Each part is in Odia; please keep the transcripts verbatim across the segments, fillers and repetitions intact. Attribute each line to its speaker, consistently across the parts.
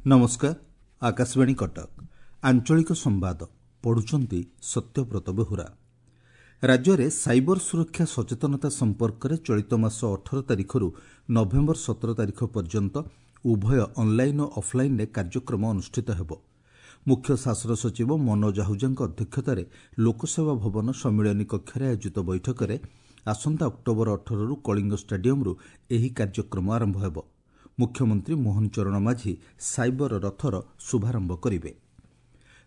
Speaker 1: ନମସ୍କାର, ଆକାଶବାଣୀ କଟକ, ଆଞ୍ଚଳିକ ସମ୍ବାଦ ପଢୁଛନ୍ତି ସତ୍ୟବ୍ରତ ବେହୁରା। ରାଜ୍ୟରେ ସାଇବର ସୁରକ୍ଷା ସଚେତନତା ସମ୍ପର୍କରେ ଚଳିତ ମାସ ଅଠର ତାରିଖରୁ ନଭେମ୍ବର ସତର ତାରିଖ ପର୍ଯ୍ୟନ୍ତ ଉଭୟ ଅନ୍ଲାଇନ୍ ଓ ଅଫ୍ଲାଇନ୍ରେ କାର୍ଯ୍ୟକ୍ରମ ଅନୁଷ୍ଠିତ ହେବ। ମୁଖ୍ୟ ଶାସନ ସଚିବ ମନୋଜ ଆହୁଜାଙ୍କ ଅଧ୍ୟକ୍ଷତାରେ ଲୋକସେବା ଭବନ ସମ୍ମିଳନୀ କକ୍ଷରେ ଆୟୋଜିତ ବୈଠକରେ ଆସନ୍ତା ଅକ୍ଟୋବର ଅଠରରୁ କଳିଙ୍ଗ ଷ୍ଟାଡିୟମ୍ରୁ ଏହି କାର୍ଯ୍ୟକ୍ରମ ଆରମ୍ଭ ହେବ। ମୁଖ୍ୟମନ୍ତ୍ରୀ ମୋହନ ଚରଣ ମାଝୀ ସାଇବର ରଥର ଶୁଭାରମ୍ଭ କରିବେ।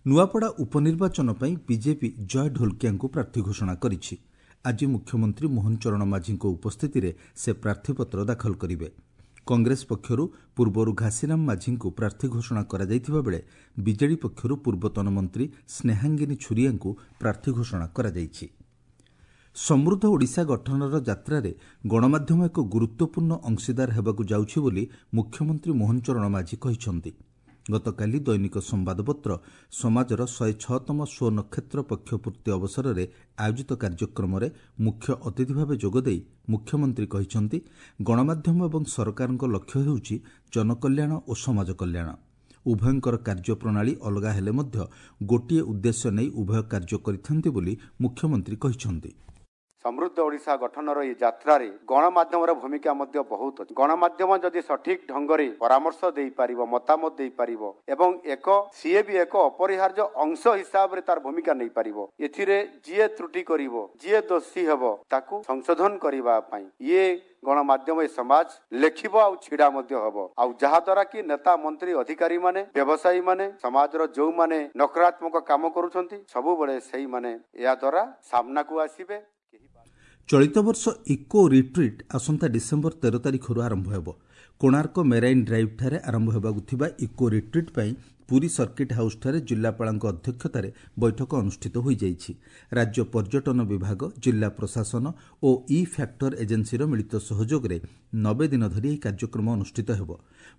Speaker 1: ନୂଆପଡ଼ା ଉପନିର୍ବାଚନ ପାଇଁ ବିଜେପି ଜୟ ଢୋଲକିଆଙ୍କୁ ପ୍ରାର୍ଥୀ ଘୋଷଣା କରିଛି। ଆଜି ମୁଖ୍ୟମନ୍ତ୍ରୀ ମୋହନ ଚରଣ ମାଝୀଙ୍କ ଉପସ୍ଥିତିରେ ସେ ପ୍ରାର୍ଥୀପତ୍ର ଦାଖଲ କରିବେ। କଂଗ୍ରେସ ପକ୍ଷରୁ ପୂର୍ବରୁ ଘାସିରାମ ମାଝୀଙ୍କୁ ପ୍ରାର୍ଥୀ ଘୋଷଣା କରାଯାଇଥିବା ବେଳେ ବିଜେଡି ପକ୍ଷରୁ ପୂର୍ବତନ ମନ୍ତ୍ରୀ ସ୍ନେହାଙ୍ଗିନୀ ଛୁରିଆଙ୍କୁ ପ୍ରାର୍ଥୀ ଘୋଷଣା କରାଯାଇଛି। ସମୃଦ୍ଧ ଓଡ଼ିଶା ଗଠନର ଯାତ୍ରାରେ ଗଣମାଧ୍ୟମ ଏକ ଗୁରୁତ୍ୱପୂର୍ଣ୍ଣ ଅଂଶୀଦାର ହେବାକୁ ଯାଉଛି ବୋଲି ମୁଖ୍ୟମନ୍ତ୍ରୀ ମୋହନ ଚରଣ ମାଝୀ କହିଛନ୍ତି। ଗତକାଲି ଦୈନିକ ସମ୍ବାଦପତ୍ର ସମାଜର ଶହେ ଛଅତମ ସ୍ୱନକ୍ଷତ୍ର ପକ୍ଷ ପୂର୍ତ୍ତି ଅବସରରେ ଆୟୋଜିତ କାର୍ଯ୍ୟକ୍ରମରେ ମୁଖ୍ୟ ଅତିଥି ଭାବେ ଯୋଗଦେଇ ମୁଖ୍ୟମନ୍ତ୍ରୀ କହିଛନ୍ତି, ଗଣମାଧ୍ୟମ ଏବଂ ସରକାରଙ୍କ ଲକ୍ଷ୍ୟ ହେଉଛି ଜନକଲ୍ୟାଣ ଓ ସମାଜ କଲ୍ୟାଣ। ଉଭୟଙ୍କର କାର୍ଯ୍ୟପ୍ରଣାଳୀ ଅଲଗା ହେଲେ ମଧ୍ୟ ଗୋଟିଏ ଉଦ୍ଦେଶ୍ୟ ନେଇ ଉଭୟ କାର୍ଯ୍ୟ କରିଥାନ୍ତି ବୋଲି ମୁଖ୍ୟମନ୍ତ୍ରୀ କହିଛନ୍ତି।
Speaker 2: ସମୃଦ୍ଧ ଓଡ଼ିଶା ଗଠନର ଏହି ଯାତ୍ରାରେ ଗଣମାଧ୍ୟମର ଭୂମିକା ମଧ୍ୟ ବହୁତ ଅଛି। ଗଣମାଧ୍ୟମ ଯଦି ସଠିକ ଢଙ୍ଗରେ ପରାମର୍ଶ ଦେଇପାରିବ, ମତାମତ ଦେଇପାରିବ ଏବଂ ଏକ ସିଏ ବି ଏକ ଅପରିହାର୍ଯ୍ୟ ଅଂଶ ହିସାବରେ ତାର ଭୂମିକା ନେଇପାରିବ, ଏଥିରେ ଯିଏ ତ୍ରୁଟି କରିବ, ଯିଏ ଦୋଷୀ ହେବ, ତାକୁ ସଂଶୋଧନ କରିବା ପାଇଁ ଇଏ ଗଣମାଧ୍ୟମ, ଏ ସମାଜ ଲେଖିବ ଆଉ ଛିଡା ମଧ୍ୟ ହବ। ଆଉ ଯାହାଦ୍ୱାରା କି ନେତା, ମନ୍ତ୍ରୀ, ଅଧିକାରୀମାନେ, ବ୍ୟବସାୟୀମାନେ, ସମାଜର ଯୋଉମାନେ ନକାରାତ୍ମକ କାମ କରୁଛନ୍ତି, ସବୁବେଳେ ସେଇମାନେ ଏହାଦ୍ୱାରା ସାମ୍ନାକୁ ଆସିବେ।
Speaker 1: ଚଳିତ ବର୍ଷ ଇକୋ ରିଟ୍ରିଟ୍ ଆସନ୍ତା ଡିସେମ୍ବର ତେର ତାରିଖରୁ ଆରମ୍ଭ ହେବ। କୋଣାର୍କ ମେରାଇନ୍ ଡ୍ରାଇଭ୍ଠାରେ ଆରମ୍ଭ ହେବାକୁ ଥିବା ଇକୋ ରିଟ୍ରିଟ୍ ପାଇଁ ପୁରୀ ସର୍କିଟ୍ ହାଉସ୍ଠାରେ ଜିଲ୍ଲାପାଳଙ୍କ ଅଧ୍ୟକ୍ଷତାରେ ବୈଠକ ଅନୁଷ୍ଠିତ ହୋଇଯାଇଛି। ରାଜ୍ୟ ପର୍ଯ୍ୟଟନ ବିଭାଗ, ଜିଲ୍ଲା ପ୍ରଶାସନ ଓ ଇ ଫ୍ୟାକ୍ଟର ଏଜେନ୍ସିର ମିଳିତ ସହଯୋଗରେ ନବେ ଦିନ ଧରି ଏହି କାର୍ଯ୍ୟକ୍ରମ ଅନୁଷ୍ଠିତ ହେବ।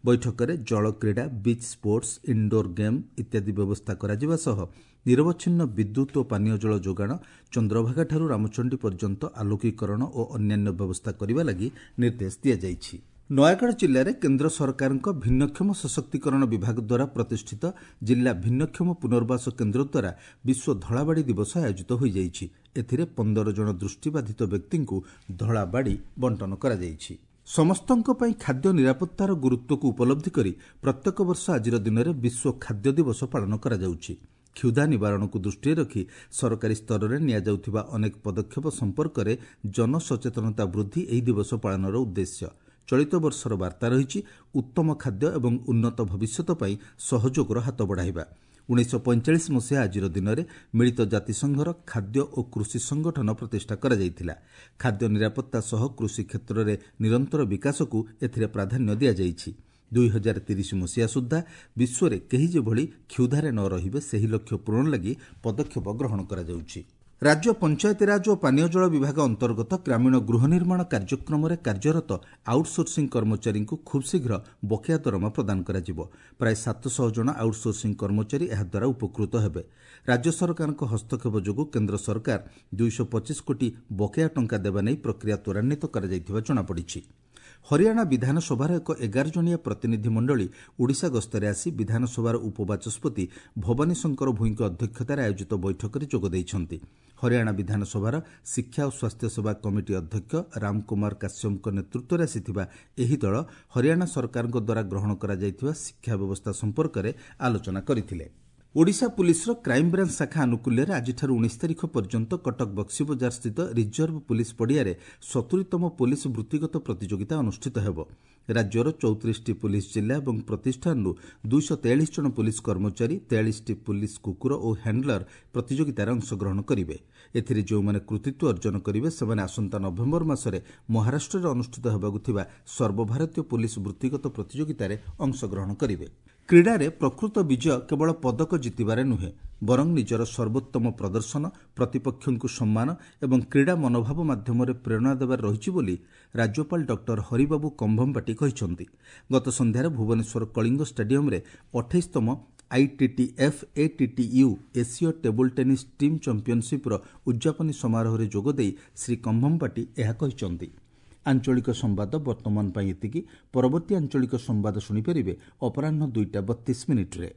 Speaker 1: ବୈଠକରେ ଜଳକ୍ରୀଡ଼ା, ବିଚ୍ ସ୍ପୋର୍ଟସ୍, ଇନ୍ଡୋର୍ ଗେମ୍ ଇତ୍ୟାଦି ବ୍ୟବସ୍ଥା କରାଯିବା ସହ ନିରବଚ୍ଛିନ୍ନ ବିଦ୍ୟୁତ୍ ଓ ପାନୀୟ ଜଳ ଯୋଗାଣ, ଚନ୍ଦ୍ରଭାଗାଠାରୁ ରାମଚଣ୍ଡୀ ପର୍ଯ୍ୟନ୍ତ ଆଲୋକୀକରଣ ଓ ଅନ୍ୟାନ୍ୟ ବ୍ୟବସ୍ଥା କରିବା ଲାଗି ନିର୍ଦ୍ଦେଶ ଦିଆଯାଇଛି। ନୟାଗଡ଼ ଜିଲ୍ଲାରେ କେନ୍ଦ୍ର ସରକାରଙ୍କ ଭିନ୍ନକ୍ଷମ ସଶକ୍ତିକରଣ ବିଭାଗ ଦ୍ୱାରା ପ୍ରତିଷ୍ଠିତ ଜିଲ୍ଲା ଭିନ୍ନକ୍ଷମ ପୁନର୍ବାସ କେନ୍ଦ୍ର ଦ୍ୱାରା ବିଶ୍ୱ ଧଳାବାଡ଼ି ଦିବସ ଆୟୋଜିତ ହୋଇଯାଇଛି। ଏଥିରେ ପନ୍ଦର ଜଣ ଦୃଷ୍ଟିବାଧିତ ବ୍ୟକ୍ତିଙ୍କୁ ଧଳାବାଡ଼ି ବଣ୍ଟନ କରାଯାଇଛି। ସମସ୍ତଙ୍କ ପାଇଁ ଖାଦ୍ୟ ନିରାପତ୍ତାର ଗୁରୁତ୍ୱକୁ ଉପଲବ୍ଧି କରି ପ୍ରତ୍ୟେକ ବର୍ଷ ଆଜିର ଦିନରେ ବିଶ୍ୱ ଖାଦ୍ୟ ଦିବସ ପାଳନ କରାଯାଉଛି। କ୍ଷୁଧା ନିବାରଣକୁ ଦୃଷ୍ଟିରେ ରଖି ସରକାରୀ ସ୍ତରରେ ନିଆଯାଉଥିବା ଅନେକ ପଦକ୍ଷେପ ସମ୍ପର୍କରେ ଜନସଚେତନତା ବୃଦ୍ଧି ଏହି ଦିବସ ପାଳନର ଉଦ୍ଦେଶ୍ୟ। ଚଳିତ ବର୍ଷର ବାର୍ତ୍ତା ରହିଛି ଉତ୍ତମ ଖାଦ୍ୟ ଏବଂ ଉନ୍ନତ ଭବିଷ୍ୟତ ପାଇଁ ସହଯୋଗର ହାତ ବଢ଼ାଇବା। ଉଣେଇଶହ ପଇଁଚାଳିଶ ମସିହା ଆଜିର ଦିନରେ ମିଳିତ ଜାତିସଂଘର ଖାଦ୍ୟ ଓ କୃଷି ସଂଗଠନ ପ୍ରତିଷ୍ଠା କରାଯାଇଥିଲା। ଖାଦ୍ୟ ନିରାପତ୍ତା ସହ କୃଷି କ୍ଷେତ୍ରରେ ନିରନ୍ତର ବିକାଶକୁ ଏଥିରେ ପ୍ରାଧାନ୍ୟ ଦିଆଯାଇଛି। ଦୁଇ ହଜାର ତିରିଶ ମସିହା ସୁଦ୍ଧା ବିଶ୍ୱରେ କେହି ଯେଭଳି କ୍ଷୁଧାରେ ନ ରହିବେ ସେହି ଲକ୍ଷ୍ୟ ପୂରଣ ଲାଗି ପଦକ୍ଷେପ ଗ୍ରହଣ କରାଯାଉଛି। ରାଜ୍ୟ ପଞ୍ଚାୟତିରାଜ ଓ ପାନୀୟ ଜଳ ବିଭାଗ ଅନ୍ତର୍ଗତ ଗ୍ରାମୀଣ ଗୃହ ନିର୍ମାଣ କାର୍ଯ୍ୟକ୍ରମରେ କାର୍ଯ୍ୟରତ ଆଉଟ୍ସୋର୍ସିଂ କର୍ମଚାରୀଙ୍କୁ ଖୁବ୍ ଶୀଘ୍ର ବକେୟା ଦରମା ପ୍ରଦାନ କରାଯିବ। ପ୍ରାୟ ସାତଶହ ଜଣ ଆଉଟ୍ସୋର୍ସିଂ କର୍ମଚାରୀ ଏହାଦ୍ୱାରା ଉପକୃତ ହେବେ। ରାଜ୍ୟ ସରକାରଙ୍କ ହସ୍ତକ୍ଷେପ ଯୋଗୁଁ କେନ୍ଦ୍ର ସରକାର ଦୁଇଶହ ପଚିଶ କୋଟି ବକେୟା ଟଙ୍କା ଦେବା ନେଇ ପ୍ରକ୍ରିୟା ତ୍ୱରାନ୍ୱିତ କରାଯାଇଥିବା ଜଣାପଡ଼ିଛି। ହରିୟାଣା ବିଧାନସଭାର ଏକ ଏଗାର ଜଣିଆ ପ୍ରତିନିଧି ମଣ୍ଡଳୀ ଓଡ଼ିଶା ଗସ୍ତରେ ଆସି ବିଧାନସଭାର ଉପବାଚସ୍ପତି ଭବାନୀ ଶଙ୍କର ଭୋଇଙ୍କ ଅଧ୍ୟକ୍ଷତାରେ ଆୟୋଜିତ ବୈଠକରେ ଯୋଗ ଦେଇଛନ୍ତି। ହରିୟାଣା ବିଧାନସଭାର ଶିକ୍ଷା ଓ ସ୍ୱାସ୍ଥ୍ୟସେବା କମିଟି ଅଧ୍ୟକ୍ଷ ରାମକୁମାର କାଶ୍ୟପଙ୍କ ନେତୃତ୍ୱରେ ଆସିଥିବା ଏହି ଦଳ ହରିୟାଣା ସରକାରଙ୍କ ଦ୍ୱାରା ଗ୍ରହଣ କରାଯାଇଥିବା ଶିକ୍ଷା ବ୍ୟବସ୍ଥା ସମ୍ପର୍କରେ ଆଲୋଚନା କରିଥିଲେ। ଓଡ଼ିଶା ପୁଲିସର କ୍ରାଇମବ୍ରାଞ୍ଚ ଶାଖା ଆନୁକୂଲ୍ୟରେ ଆଜିଠାରୁ ଉଣେଇଶ ତାରିଖ ପର୍ଯ୍ୟନ୍ତ କଟକ ବକ୍ସିବଜାର ସ୍ଥିତ ରିଜର୍ଭ ପୁଲିସ ପଡ଼ିଆରେ ସତୁରିତମ ପୋଲିସ ବୃତ୍ତିଗତ ପ୍ରତିଯୋଗିତା ଅନୁଷ୍ଠିତ ହେବ। ରାଜ୍ୟର ଚଉତିରିଶଟି ପୁଲିସ ଜିଲ୍ଲା ଏବଂ ପ୍ରତିଷ୍ଠାନରୁ ଦୁଇଶହ ତେୟାଳିଶ ଜଣ ପୁଲିସ କର୍ମଚାରୀ, ତେୟାଳିଶଟି ପୁଲିସ କୁକୁର ଓ ହ୍ୟାଣ୍ଡଲର ପ୍ରତିଯୋଗିତାରେ ଅଂଶଗ୍ରହଣ କରିବେ। ଏଥିରେ ଯେଉଁମାନେ କୃତିତ୍ୱ ଅର୍ଜନ କରିବେ ସେମାନେ ଆସନ୍ତା ନଭେମ୍ବର ମାସରେ ମହାରାଷ୍ଟ୍ରରେ ଅନୁଷ୍ଠିତ ହେବାକୁ ଥିବା ସର୍ବଭାରତୀୟ ପୁଲିସ ବୃତ୍ତିଗତ ପ୍ରତିଯୋଗିତାରେ ଅଂଶଗ୍ରହଣ କରିବେ। କ୍ରୀଡ଼ାରେ ପ୍ରକୃତ ବିଜୟ କେବଳ ପଦକ ଜିତିବାରେ ନୁହେଁ, ବରଂ ନିଜର ସର୍ବୋତ୍ତମ ପ୍ରଦର୍ଶନ, ପ୍ରତିପକ୍ଷଙ୍କୁ ସମ୍ମାନ ଏବଂ କ୍ରୀଡ଼ା ମନୋଭାବ ମାଧ୍ୟମରେ ପ୍ରେରଣା ଦେବାରେ ରହିଛି ବୋଲି ରାଜ୍ୟପାଳ ଡକ୍ଟର ହରିବାବୁ କମ୍ଭମପାଟି କହିଛନ୍ତି। ଗତ ସନ୍ଧ୍ୟାରେ ଭୁବନେଶ୍ୱର କଳିଙ୍ଗ ଷ୍ଟାଡିୟମରେ ଅଠେଇଶତମ ଆଇଟିଟିଏଫ୍ ଏଟିଟିୟୁ ଏସୀୟ ଟେବୁଲ୍ ଟେନିସ୍ ଟିମ୍ ଚାମ୍ପିୟନସିପ୍ର ଉଦ୍ଯାପନୀ ସମାରୋହରେ ଯୋଗଦେଇ ଶ୍ରୀ କମ୍ଭମପାଟି ଏହା କହିଛନ୍ତି। ଆଞ୍ଚଳିକ ସମ୍ବାଦ ବର୍ତ୍ତମାନ ପାଇଁ ଏତିକି। ପରବର୍ତ୍ତୀ ଆଞ୍ଚଳିକ ସମ୍ବାଦ ଶୁଣିପାରିବେ ଅପରାହ୍ନ ଦୁଇଟା ବତିଶ ମିନିଟ୍ରେ।